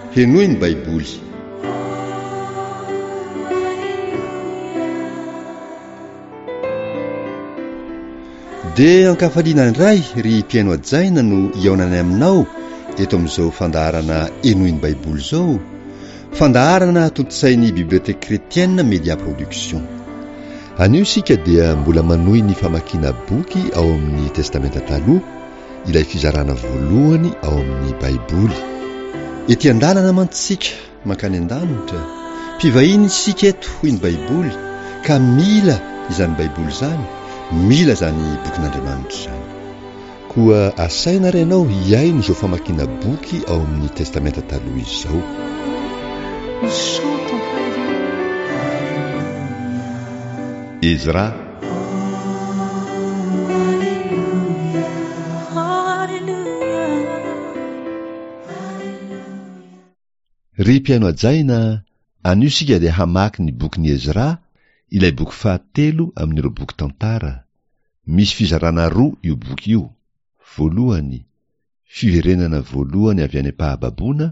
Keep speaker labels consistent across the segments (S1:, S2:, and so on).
S1: Henoy ny Baiboly. Dia ankafaliana indray ry mpihaino hajaina no hihaonanay aminao eto amin'izao fandaharana Henoy ny Baiboly izao, fandaharana tontosain'ny Bibliothèque Chrétienne Média Production. Anio isika dia mbola manohy ny famakiana boky ao amin'ny Testamenta Taloha, ilay fizarana voalohany ao amin'ny Baiboly. Ety an-dalana mantsy isika mankany an-danitra, mpivahiny isika eto hoy ny Baiboly ka mila izany Baiboly izany, mila izany bokin'Andriamanitra izany. Koa asaina ary ianao hihaino izao famakiana boky ao amin'ny Testamenta Taloha izao. Ezra. Ry mpihaino hajaina, anio isika dia hamaky ny bokin'i Ezra, ilay boky fahatelo amin'ireo boky tantara. Misy fizarana roa io boky io, voalohany, fiverenana voalohany avy any am-pahababoana,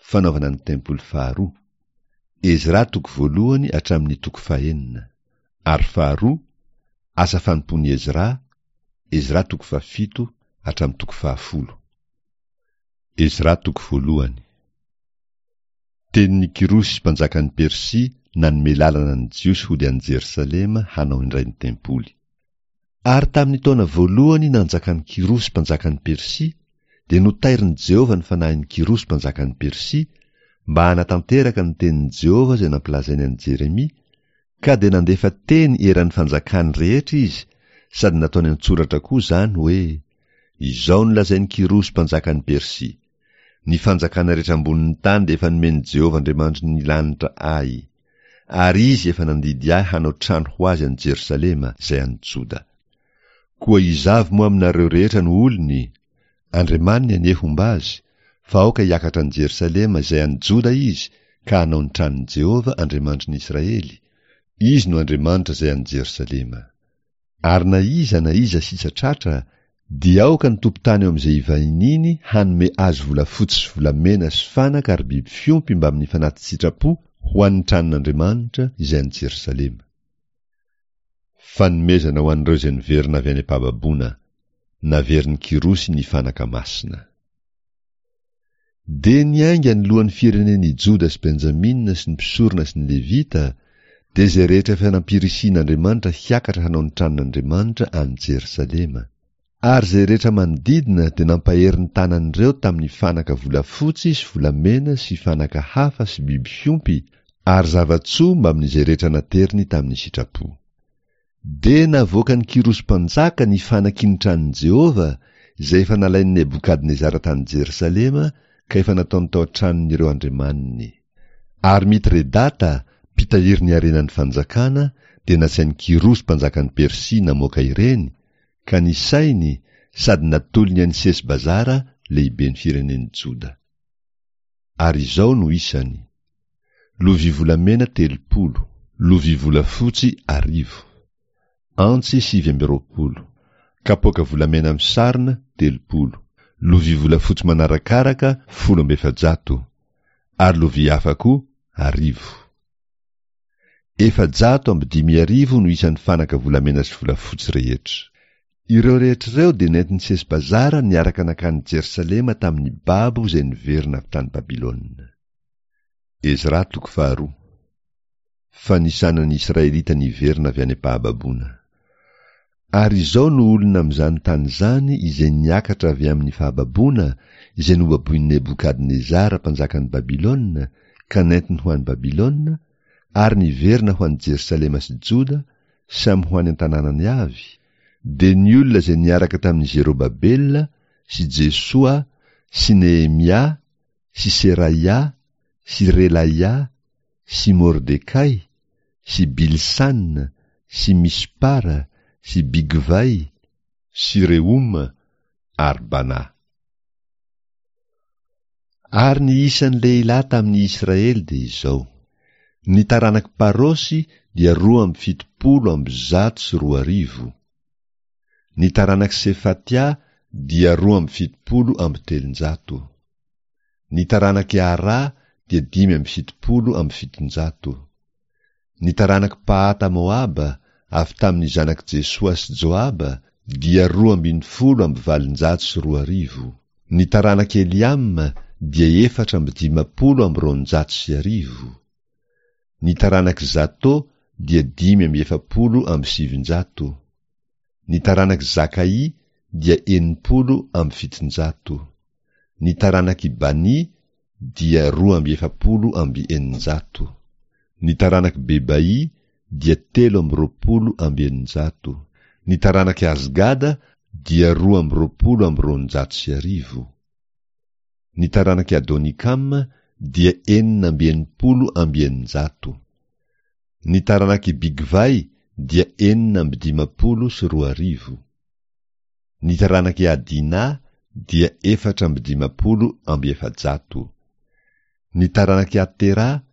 S1: fanaovana ny tempoly faharoa, Ezra toko voalohany hatramin'ny toko fahenina, ary faharoa, asa fanompoan'i Ezra, Ezra toko fahafito hatramin'ny toko fahafolo. Ezra toko voalohany. Tenin'i Kyrosy mpanjakan'i Persia nanome lalana ny Jiosy hody any Jerosalema hanao indray ny tempoly. Ary tamin'ny taona voalohany nanjakan'i Kyrosy mpanjakan'i Persia, dia notairin'i Jehovah ny fanahin'i Kyrosy mpanjakan'i Persia, mba hanatanteraka ny tenin'i Jehovah izay nampilazainy an'i Jeremia, ka dia nandefa teny eran'ny fanjakany rehetra izy, sady nataony an-tsoratra koa izany hoe, Izao no lazain'i Kyrosy mpanjakan'i Persia, Ny fanjakana rehetra ambonin'ny tany dia efa nomen'i Jehovah Andriamanitry ny lanitra ahy, ary izy efa nandidy ahy hanao trano ho azy any Jerosalema, izay any Joda. Koa iza avy moa aminareo rehetra no olony? Andriamaniny anie homba azy, fa aoka hiakatra any Jerosalema izay any Joda izy ka hanao ny tranon'i Jehovah Andriamanitry ny Israely, izy no Andriamanitra izay any Jerosalema. Ary na iza na iza sisa tratra, dia aoka ny tompon-tany eo amin'izay ivahiniany hanome azy volafotsy sy volamena sy fanaka ary biby fiompy mbamin'ny fanati-tsitrapo ho an'ny tranon'Andriamanitra izay any Jerosalema. Fanomezana ho an'ireo izay niverina avy any am-pahababoana, naverin'i Kyrosy ny fanaka masina. Dia niainga ny lohan'ny firenen' i Joda sy Benjamina sy ny mpisorona sy ny Levita, dia izay rehetra efa nampirisihin' Andriamanitra hiakatra hanao ny tranon' Andriamanitra any Jerosalema. Ary izay rehetra manodidina dia nampahery ny tanan' ireo tamin' ny fanaka volafotsy sy volamena sy fanaka hafa sy biby fiompy ary zava-tsoa mbamin' izay rehetra nateriny tamin' ny sitrapo. Dia navoakan'i Kyrosy mpanjaka ny fanaky ny tranon'i Jehovah, izay efa nalain'i Nebokadnezara tany Jerosalema ka efa nataony tao an-tranon'ireo andriamaniny. Ary Mitredata, mpitahiry ny harenan'ny fanjakana, dia nasain'i Kyrosy mpanjakan'i Persia namoaka ireny, ka nisainy sady natolony an'i Sesbazara lehiben'ny firenen'i Joda. Ary izao no isany, Lovia volamena 30, lovia volafotsy arivo, antsy 29, kapoaka volamena misarona 30, lovia volafotsy manarakaraka 410, ary lovia hafa koa arivo. 5400 no isan'ny fanaka volamena sy volafotsy rehetra. Ireo rehetra ireo dia nentin'i Sesbazara niaraka nankany Jerosalema tamin'ny babo izay niverina avy tany Babylona. Ezra toko faharoa. Fanisana ny Israelita niverina avy any am-pahababoana. Ary izao no olona amin'izany tany izany izay niakatra avy amin'ny fahababoana izay nobaboin'i Nebokadnezara mpanjakan'i Babylona ka nentiny ho any Babylona, ary niverina ho any Jerosalema sy Joda, samy ho any an-tanànany avy, dia ny olona izay niaraka tamin'i Zerobabela sy Jesoa sy Nehemia sy Seraia sy Relaia sy Mordekay sy Bilsana sy Mispara sy Bigvay sy Rehoma ary Bana. Ary ny isan'ny lehilahy tamin'ny Israely dia izao, ny taranak'i Parosy dia 2172, ny taranak'i Sefatia dia 372. Ny taranak'i Arà dia 775. Ny taranak'i Pahata Moaba, avy tamin'ny zanak'i Jesoa sy Joaba, dia 2812. Ny taranak'i Eliama dia 1254. Ny taranak'i Zato dia 945. Ny taranak'i Zakaï dia 760. Ny taranak'i Bani dia 642. Ny taranak'i Bebaï dia 623. Ny taranak'i Azgada dia 1222. Ny taranak'i Adonikama dia 666. Ny taranak'i Bigvay dia 2056. Ny taranak'i Adina dia 454. Ny taranak'i Atera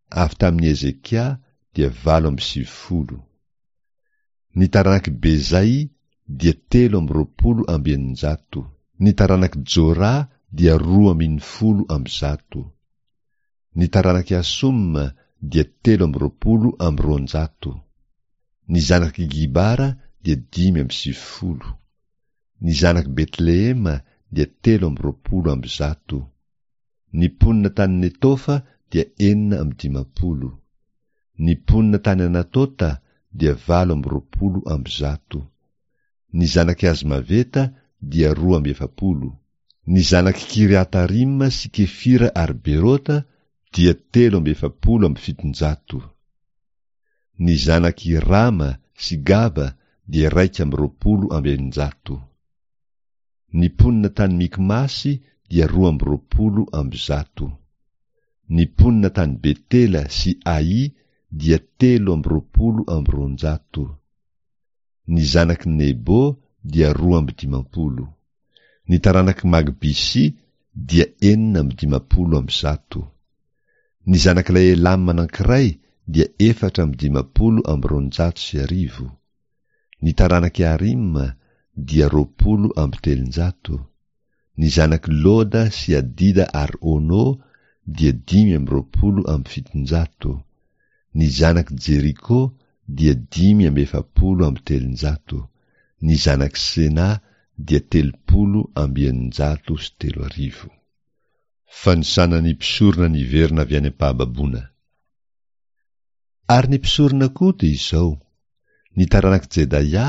S1: avy tamin'i Hezekia dia 98. Ny taranak'i Bezay dia 623. Ny taranak'i Jora dia 112. Ny taranak'i Asoma dia 223. Ny zanak'i Gibara dia 95. Ny zanak'i Betlehema dia 123. Ny mponina tany Netofa dia 56. Ny mponina tany Anatota dia 128. Ny zanak'i Azmaveta dia 42. Ny zanak'i Kiriatarima sy Kefira ary Berota dia 743. Ny zanak'i Rama sy Gaba dia 621. Ny mponina tany Mikmasy dia 122. Ny mponina tany Betela sy Ai dia 223. Ny zanak'i Nebo dia 52. Ny taranak'i Magbisy dia 156. Ny zanak'ilay Elama anankiray dia 254. Ny taranak'i Arima dia 320. Ny zanak'i Loda sy Adida ary Ono dia 725. Ny zanak'i Jeriko dia 345. Ny zanak'i Sena dia 330. Fanisana ny mpisorona niverina avy any am-pahababoana. Ary ny mpisorona koa dia izao, ny taranak'i Jedaia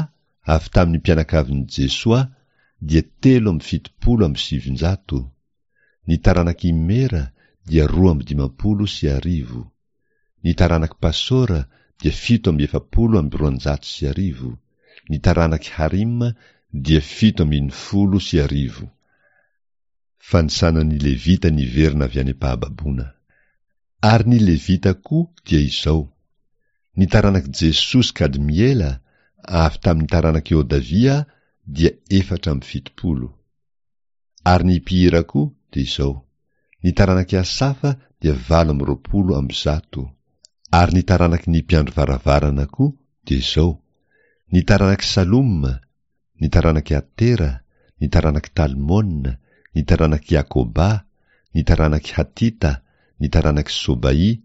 S1: avy tamin'ny mpianakavin'i Jesoa dia 973, ny taranak'i Imera dia 1052, ny taranak'i Pasora dia 247, ny taranak'i Harima dia 1017. Fanisana ny Levita niverina avy any am-pahababoana. Ary ny Levita koa dia izao, ny taranak'i Jesoa sy Kadmiela avy tamin'ny taranak'i Hodavia dia 74. Ary ny mpihira koa dia izao, ny taranak'i Asafa dia 128. Ary ny taranaky ny mpiandry varavarana koa dia izao, ny taranak'i Saloma, ny taranak'i Atera, ny taranak'i Talmona, ny taranak'i Akoba, ny taranak'i Hatita, ny taranak'i Sobaỳ,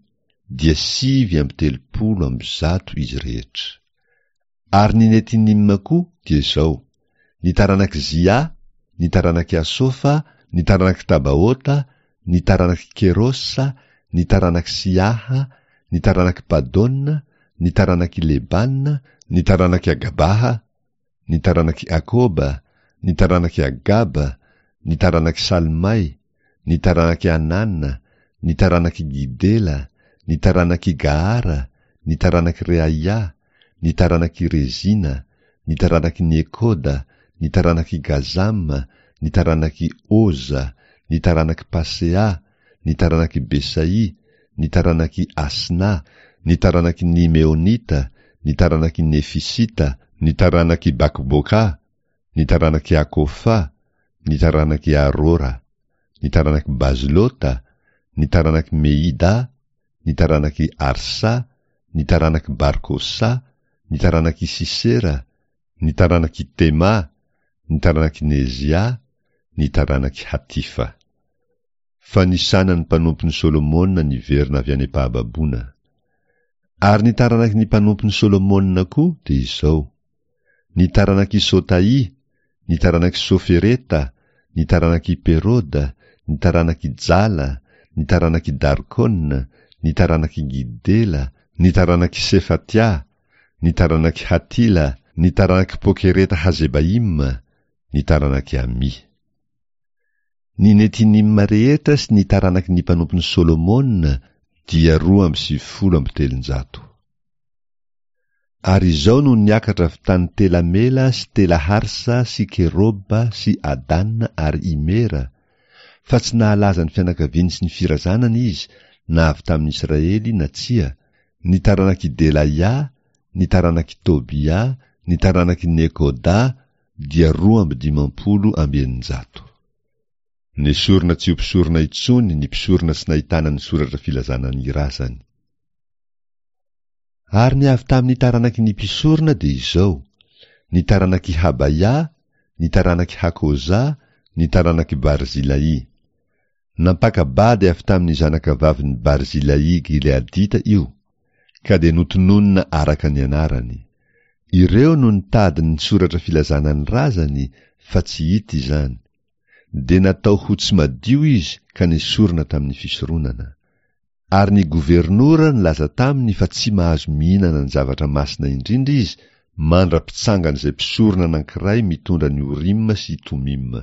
S1: dia 139 izy rehetra. Ary ny Netinima koa dia izao, ny taranak'i Zia, ny taranak'i Asofa, ny taranak'i Tabaota, ny taranak'i Kerosa, ny taranak'i Siaha, ny taranak'i Padona, ny taranak'i Lebana, ny taranak'i Agabaha, ny taranak'i Akoba, ny taranak'i Agaba, ny taranak'i Salmay, ny taranak'i Anana, ny taranak'i Gidela, ny taranak'i Gahara, ny taranak'i Reaia, ny taranak'i Rezina, ny taranak'i Nekoda, ny taranak'i Gazama, ny taranak'i Oza, ny taranak'i Pasea, ny taranak'i Besai, ny taranak'i Asna, ny taranak'i Nimeonita, ny taranak'i Nefisita, ny taranak'i Bakboka, ny taranak'i Akofa, ny taranak'i Arora, ny taranak'i Bazlota, ny taranak'i Meida, ny taranak'i Arsa, ny taranak'i Barkosa, ny taranak'i Sisera, ny taranak'i Tema, ny taranak'i Nezia, ny taranak'i Hatifa. Fanisana ny mpanompon'i Solomona niverina avy any am-pahababoana. Ary ny taranaky ny mpanompon'i Solomona koa dia izao, ny taranak'i Sotaì, ny taranak'i Sofereta, ny taranak'i Peroda, ny taranak'i Jala, ny taranak'i Darkona, ny taranak'i Gidela, ny taranak'i Sefatia, ny taranak'i Hatila, ny taranak'i Pokereta Hazebaima, ny taranak'i Amỳ. Ny Netinima rehetra sy ny taranaky ny mpanompon'i Solomona dia 392. Ary izao no niakatra avy tany Tela-Mela sy Tela-Harsa sy Keroba sy Adana ary Imera, fa tsy nahalaza ny fianakaviany sy ny firazanany izy na avy tamin'ny Israely na tsia, ny taranak'i Delaia, ny taranak'i Tobia, ny taranak'i Nekoda, dia 652. Nesorina tsy ho mpisorona intsony ny mpisorona tsy nahitana ny soratra filazana ny razany. Ary ny avy tamin'ny taranaky ny mpisorona dia izao, ny taranak'i Habaia, ny taranak'i Hakoza, ny taranak'i Barzilai. Nampaka-bady avy tamin'ny zanakavavin'i Barzilai Gileadita io, ka dia notononina araka ny anarany. Ireo no nitady ny soratra filazana ny razany fa tsy hita izany. Dia natao ho tsy madio izy ka nesorina tamin'ny fisoronana. Ary ny governora nilaza taminy fa tsy mahazo mihinana ny zavatra masina indrindra izy mandra-pitsangan'izay mpisorona anankiray mitondra ny Orima sy Tomima.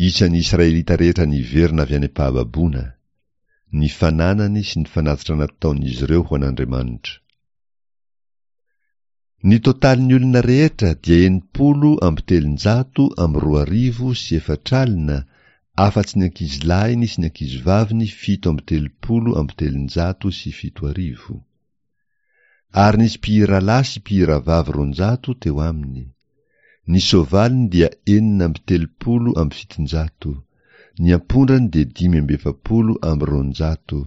S1: Isan'ny Israelita rehetra niverina avy any am-pahababoana, ny fananany sy ny fanatitra nataon'izy ireo ho an'Andriamanitra. Ny totalin'ny olona rehetra dia 360 460, afa-tsy ny ankizilahiny sy ny ankizivaviny 337. Ary nisy mpihiralahy sy mpihiravavy 200 teo aminy. Ny soavaliny dia 736, ny ampondrany dia 245,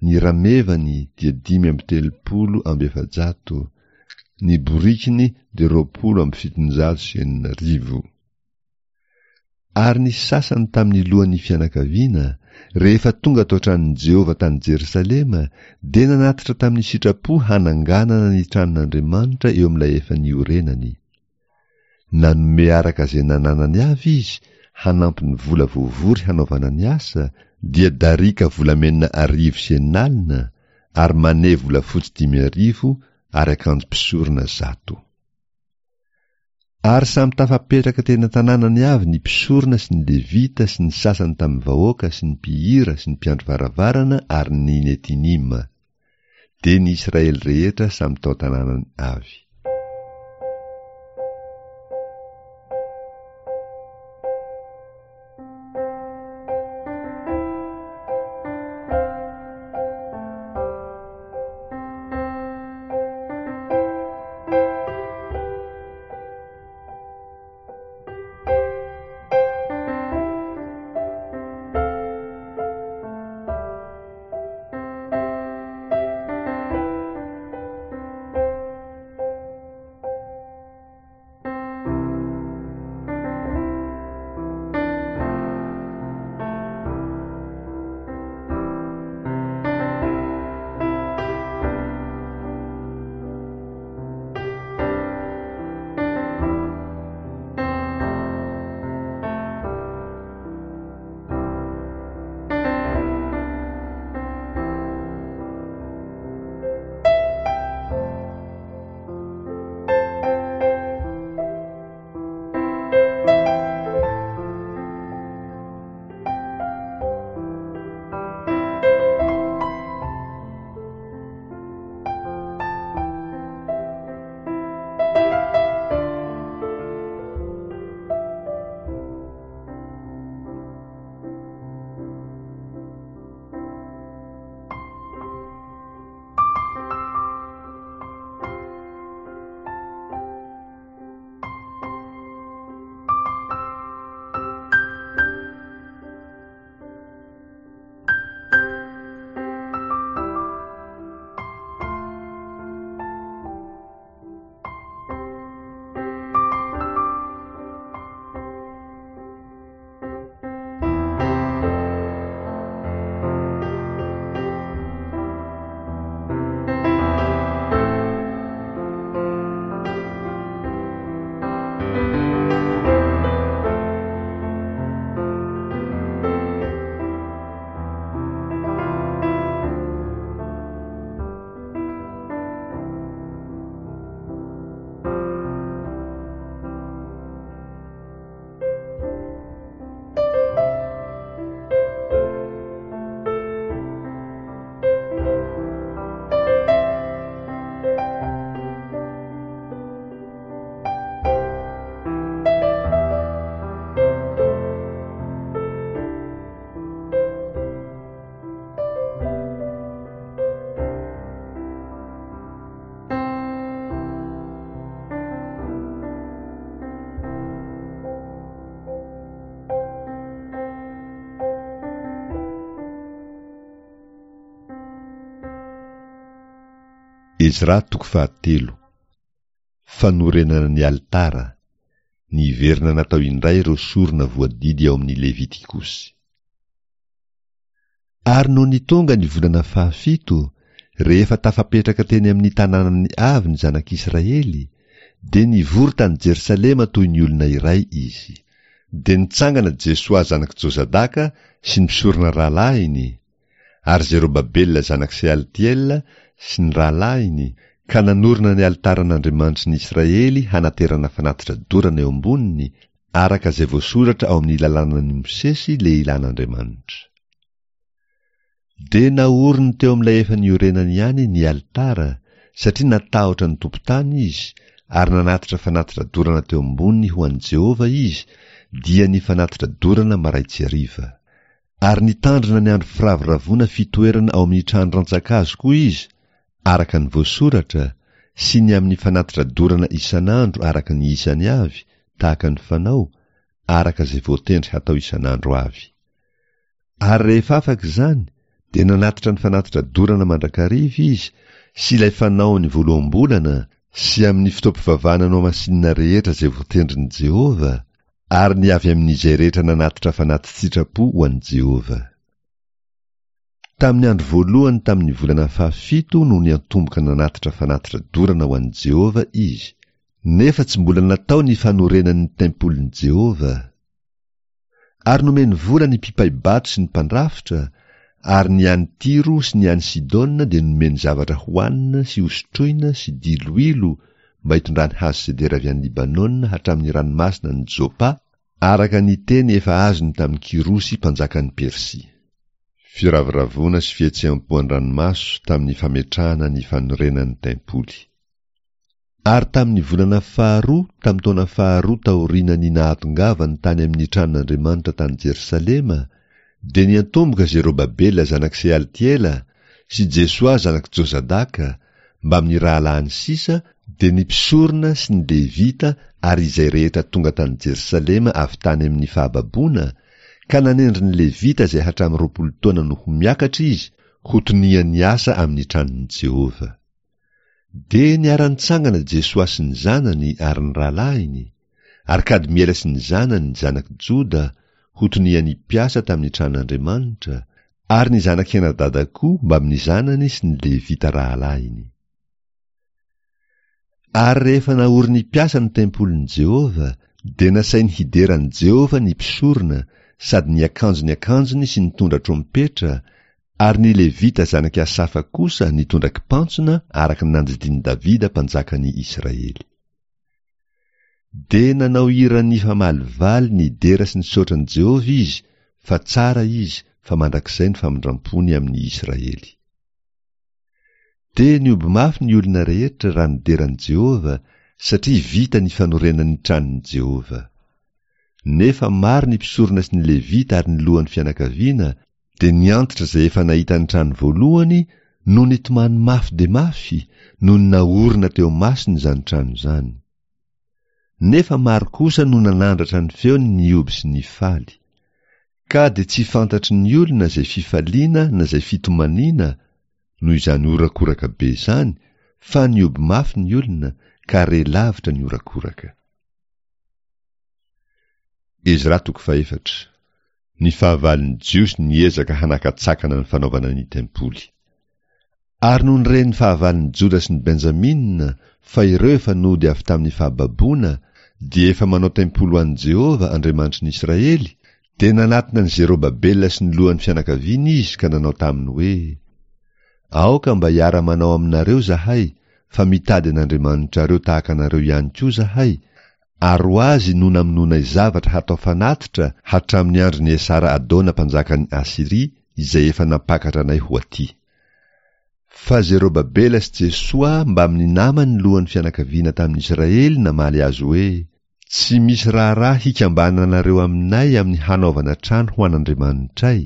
S1: ny ramevany dia 435, ny borikiny dia 620. Ary ny sasany tamin'ny lohan'ny fianakaviana, rehefa tonga tao an-tranon'i Jehovah tany Jerosalema, dia nanatitra tamin'ny sitrapo hananganana ny tranon'Andriamanitra eo amin'ilay efa niorenany. Nanome araka izay nananany avy izy hanampy ny vola voavory hanaovana ny asa, dia darika volamena 600, ary mane volafotsy 5000 ary akanjo mpisorona 100. Ary samy tafapetraka teny an-tanànany avy ny mpisorona sy ny Levita sy ny sasany tamin'ny vahoaka sy ny mpihira sy ny mpiandry varavarana ary ny Netinima. Dia ny Israely rehetra samy tao an-tanànany avy. Ezra toko fahatelo. Fanorenana ny alitara. Niverina natao indray ireo sorona voadidy ao amin'ny Levitikosy. Ary nony tonga ny volana fahafito, rehefa tafapetraka teny amin'ny tanànany avy ny zanak'Israely, dia nivory tany Jerosalema toy ny olona iray izy. Dia nitsangana Jesoa zanak'i Jozadaka sy ny mpisorona rahalahiny, ary Zerobabela zanak'i Sealtiela sy ny rahalahiny, ka nanorina ny alitaran'Andriamanitry ny Israely hanaterana fanatitra dorana eo amboniny, araka izay voasoratra ao amin'ny lalànan'i Mosesy lehilahin'Andriamanitra. Dia naoriny teo amin'ilay efa niorenany ihany ny alitara, satria natahotra ny tompon-tany izy, ary nanatitra fanatitra dorana teo amboniny ho an'i Jehovah izy, dia ny fanatitra dorana marain-tsy hariva. Ary nitandrina ny andro firavoravoana fitoerana ao amin'ny trano rantsankazo koa izy, araka ny voasoratra, sy ny amin'ny fanatitra dorana isan'andro araka ny isany avy, tahaka ny fanao, araka izay voatendry hatao isan'andro avy. Ary rehefa afaka izany, dia nanatitra ny fanatitra dorana mandrakariva izy, sy ilay fanaony voaloham-bolana, sy amin'ny fotoam-pivavahana nohamasinina rehetra izay voatendrin'i Jehovah, ary ny avy amin'izay rehetra nanatitra fanati-tsitrapo ho an'i Jehovah. Tamin'ny andro voalohany tamin'ny volana fahafito no niantomboka nanatitra fanatitra dorana ho an'i Jehovah izy, nefa tsy mbola natao ny fanorenan'ny tempolin'i Jehovah. Ary nomeny vola ny mpipai-bato sy ny mpandrafitra, ary ny any Tyro sy ny any Sidona dia nomeny zavatra hohanina sy hosotroina sy diloilo mba hitondrany hazo sedera avy any Libanona hatramin'ny ranomasina any Jopa, araka ny teny efa azony tamin'i Kyrosy mpanjakan'i Persia. Firavoravoana sy fihetseham-po an-dranomaso tamin'ny fametrahana ny fanorenan'ny tempoly. Ary tamin'ny volana faharoa tamin'ny taona faharoa taorian'ny nahatongavany tany amin'ny tranon'Andriamanitra tany Jerosalema, dia niantomboka Zerobabela zanak'i Sealtiela sy Jesoa zanak'i Jozadaka, mbamin'ny rahalahiny sisa, dia ny mpisorona sy ny Levita ary izay rehetra tonga tany Jerosalema avy tany amin'ny fahababoana, ka nanendry ny Levita izay hatramin'ny 20 taona no ho miakatra izy ho tonian'ny asa amin'ny tranon'i Jehovah. Dia niara-nitsangana Jesoa sy ny zanany ary ny rahalahiny, ary Kadmiela sy ny zanany, zanak'i Joda, ho tonian'ny mpiasa tamin'ny tranon'Andriamanitra, ary ny zanak'i Henadada koa mbamin'ny zanany sy ny Levita rahalahiny. Ary rehefa naorin'ny mpiasa ny tempolin'i Jehovah, dia nasainy hidera an'i Jehovah ny mpisorona sady niakanjo ny akanjony sy nitondra trompetra, Ary ny Levita zanak'i Asafa kosa nitondra kipantsona araka ny nandidian'i Davida mpanjakan'i Israely. Dia nanao hira nifamalivaly nidera sy nisaotra an'i Jehovah izy fa tsara izy fa mandrakizay ny famindram-pony amin'ny Israely. Dia nihoby mafy ny olona rehetra raha nidera an'i Jehovah satria vita ny fanorenan'ny tranon'i Jehovah. Nefa maro ny mpisorona sy ny Levita ary ny lohan'ny fianakaviana Dia ny antitra izay efa nahita ny trano voalohany no nitomany mafy dia mafy nony naorina teo masony izany trano izany. Nefa maro kosa no nanandratra ny feony nihoby sy nifaly. Ka dia tsy fantatry ny olona izay fifaliana na izay fitomaniana noho izany horakoraka be izany fa nihoby mafy ny olona ka re lavitra ny horakoraka. Ezra toko fahefatra. Ny fahavalon'ny Jiosy niezaka hanakatsakana ny fanaovana ny tempoly. Ary nony ren'ny fahavalon'ny Joda sy ny Benjamina fa ireo efa nody avy tamin'ny fahababoana dia efa manao tempoly ho an'i Jehovah, Andriamanitry ny Israely, dia nanatona an'i Zerobabela sy ny lohan'ny fianakaviany izy ka nanao taminy hoe, Aoka mba hiara-manao aminareo izahay, fa mitady an'Andriamanitrareo tahaka anareo ihany koa izahay, Ary ho azy no namonoanay zavatra hatao fanatitra hatramin'ny andron'i Esara-Adona mpanjakan'i Asyria izay efa nampakatra anay ho atỳ. Fa Zerobabela sy Jesoa mbamin'ny namany lohan'ny fianakaviana tamin'ny Israely namaly azy hoe, Tsy misy raharaha hikambananareo aminay amin'ny hanaovana trano ho an'Andriamanitray,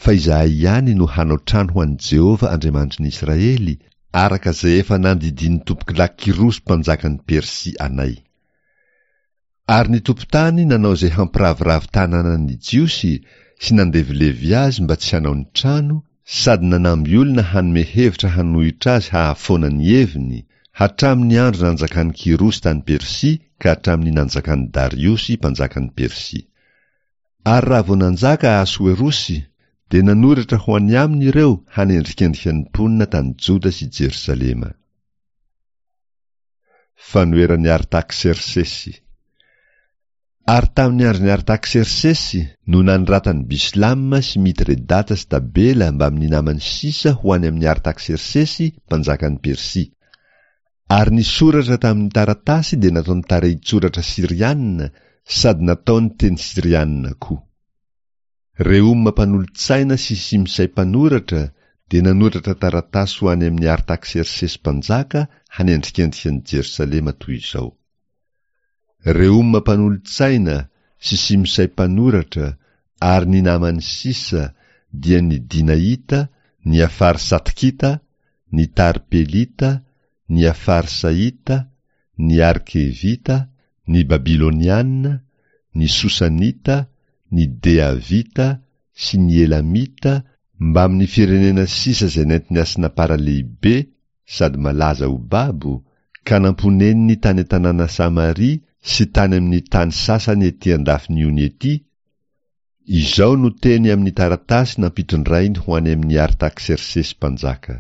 S1: fa izahay ihany no hanao trano ho an'i Jehovah Andriamanitry ny Israely, araka izay efa nandidian'ny tompokolahy Kyrosy mpanjakan'i Persia anay. Ary ny tompon-tany nanao izay hampiraviravy tanàna ny Jiosy sy nandevilevy azy mba tsy hanao ny trano. sady nanamby olona hanome hevitra hanohitra azy hahafoana ny heviny, hatramin'ny andro nanjakan'i Kyrosy tany Persia ka hatramin'ny nanjakan'i Dariosy mpanjakan'i Persia. Ary raha vao nanjaka Ahasoerosy, dia nanoratra ho any aminy ireo hanendrikendrika ny mponina tany Joda sy Jerosalema. Fanoheran'i Artaksersesy Ary tamin'ny andron'i Artaksersesy no nanoratan'i Bislama sy Mitredata sy Tabela mbamin'ny namany sisa ho any amin'i Artaksersesy mpanjakan'i Persia. Ary ny soratra tamin'ny taratasy dia nataony tarehin-tsoratra syriana sady nataony teny syriana koa. Rehoma mpanolo-tsaina sy Simsay mpanoratra dia nanoratra taratasy ho any amin'i Artaksersesy mpanjaka hanendrikendrika an'i Jerosalema toy izao. Rehoma mpanolo-tsaina sy Simsay mpanoratra ary ny namany sisa dia ny Dinaita, ny Afarsatkita, ny Tarpelita, ny Afarsaita, ny Arkevita, ny Babyloniana, ny Sosanita, ny Deavita sy ny Elamita mbamin'ny firenena sisa izay nentin'i Asnapara lehibe sady malaza ho babo, ka namponeniny tany an-tanàna Samaria sy tany amin'ny tany sasany ety an-dafin'ny ony ety, izao no teny amin'ny taratasy nampitondrainy ho any amin'i Artaksersesy mpanjaka.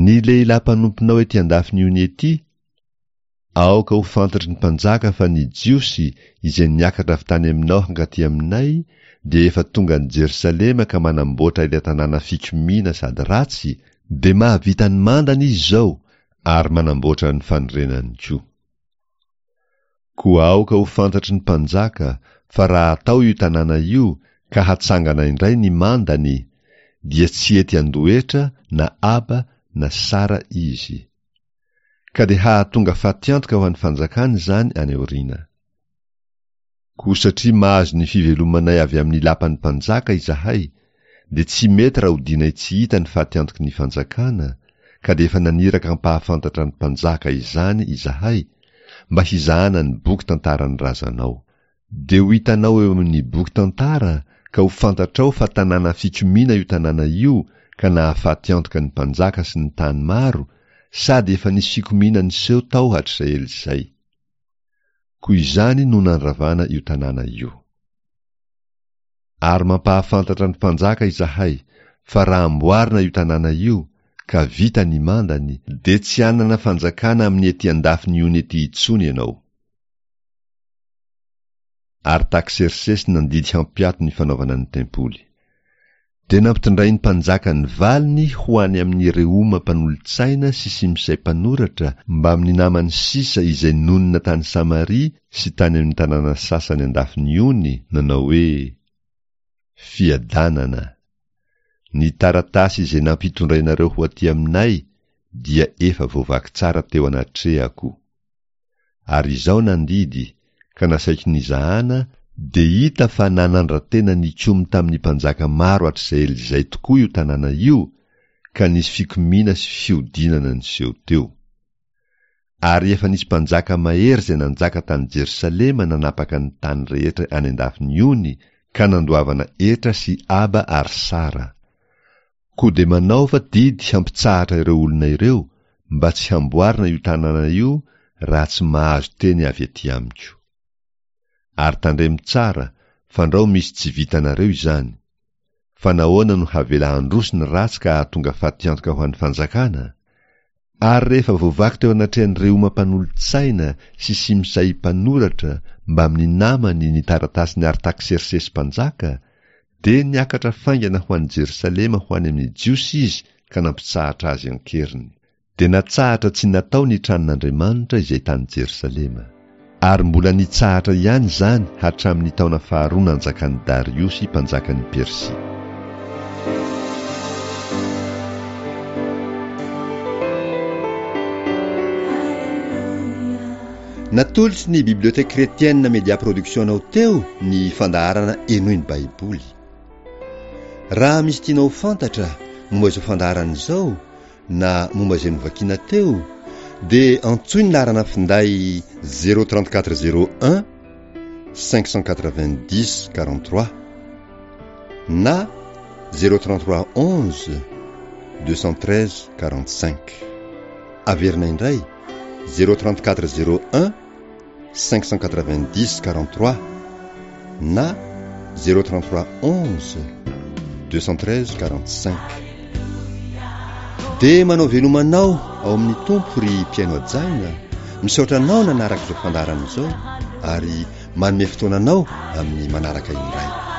S1: Ny lehilahy mpanomponao ety an-dafin'ny ony ety, Aoka ho fantatry ny mpanjaka fa ny Jiosy izay niakatra avy tany aminao hankaty aminay dia efa tonga any Jerosalema ka manamboatra ilay tanàna fikomiana sady ratsy, dia mahavita ny mandany izy izao ary manamboatra ny fanorenany koa. Koa aoka ho fantatry ny mpanjaka fa raha atao io tanàna io ka hatsangana indray ny mandany, dia tsy hety handoa hetra na aba na sara izy. Ka dia hahatonga fatiantoka ho an'ny fanjakana izany any aoriana. Koa satria mahazo ny fivelomanay avy amin'ny lapan'ny mpanjaka izahay, dia tsy mety raha odianay tsy hita ny fatiantoky ny fanjakana, ka dia efa naniraka hampahafantatra ny mpanjaka izany izahay, mba hizahana ny boky tantaran'ny razanao. Dia ho hitanao eo amin'ny boky tantara ka ho fantatrao fa tanàna fikomiana io tanàna io ka nahafaty antoka ny mpanjaka sy ny tany maro sady efa nisy fikomiana niseho tao hatrizay ela izay. Koa izany no nandravana io tanàna io. Ary mampahafantatra ny mpanjaka izahay fa raha amboarina io tanàna io ka vita ny mandany dia tsy hanana fanjakana amin'ny ety andafin'ny ony ety intsony ianao. Artaksersesy nandidy hampiato ny fanaovana ny tempoly. Dia nampitondrain'ny mpanjaka ny valiny ho any amin'i Rehoma mpanolo-tsaina sy Simsay mpanoratra mbamin'ny namany sisa izay nonina tany Samaria sy tany amin'ny tanàna sasany an-dafin'ny ony, nanao hoe, Fiadanana! Ny taratasy izay nampitondrainareo ho aty aminay dia efa voavaky tsara teo anatrehako. Ary izao nandidy, ka nasaiko nizahana, dia hita fa nanandra-tena nikomy tamin'ny mpanjaka maro hatrizay ela izay tokoa io tanàna io, ka nisy fikomiana sy fihodinana niseho teo. Ary efa nisy mpanjaka mahery izay nanjaka tany Jerosalema nanapaka ny tany rehetra any an-dafin'ny ony ka nandoavana hetra sy aba ary sara. Koa dia manaova didy hampitsahatra ireo olona ireo mba tsy hamboarina io tanàna io raha tsy mahazo teny avy aty amiko. Ary tandremo tsara fandrao misy tsy vitanareo izany. Fa nahoana no havela handroso ny ratsy ka hahatonga fatiantoka ho an'ny fanjakana? Ary rehefa voavaky teo anatrehan'i Rehoma mpanolo-tsaina sy Simsay mpanoratra mbamin'ny namany ny taratasin'i Artaksersesy mpanjaka, dia niakatra faingana ho any Jerosalema ho any amin'ny Jiosy izy ka nampitsahatra azy an-keriny. Dia natsahatra tsy natao ny tranon'Andriamanitra izay tany Jerosalema. Ary mbola nitsahatra ihany izany hatramin'ny taona faharoa nanjakan'i Dariosy mpanjakan'i Persia.
S2: Natolotry ny Bibliothèque Chrétienne Media Production anao teo ny fandaharana Henoy ny Baiboly. Raha misy tianao ho fantatra momba izao fandaharana izao na momba izay novakiana teo dia antsoy ny laharana finday 034 01 590 43 na. 033 11 213 45. Averina indray, 034 01 590 43 na 033 11 213 45. Dia manao veloma anao ao amin'ny Tompo ry mpihaino hajaina, misaotra anao nanaraka izao fandaharana izao ary manome fotoana anao amin'ny manaraka indray.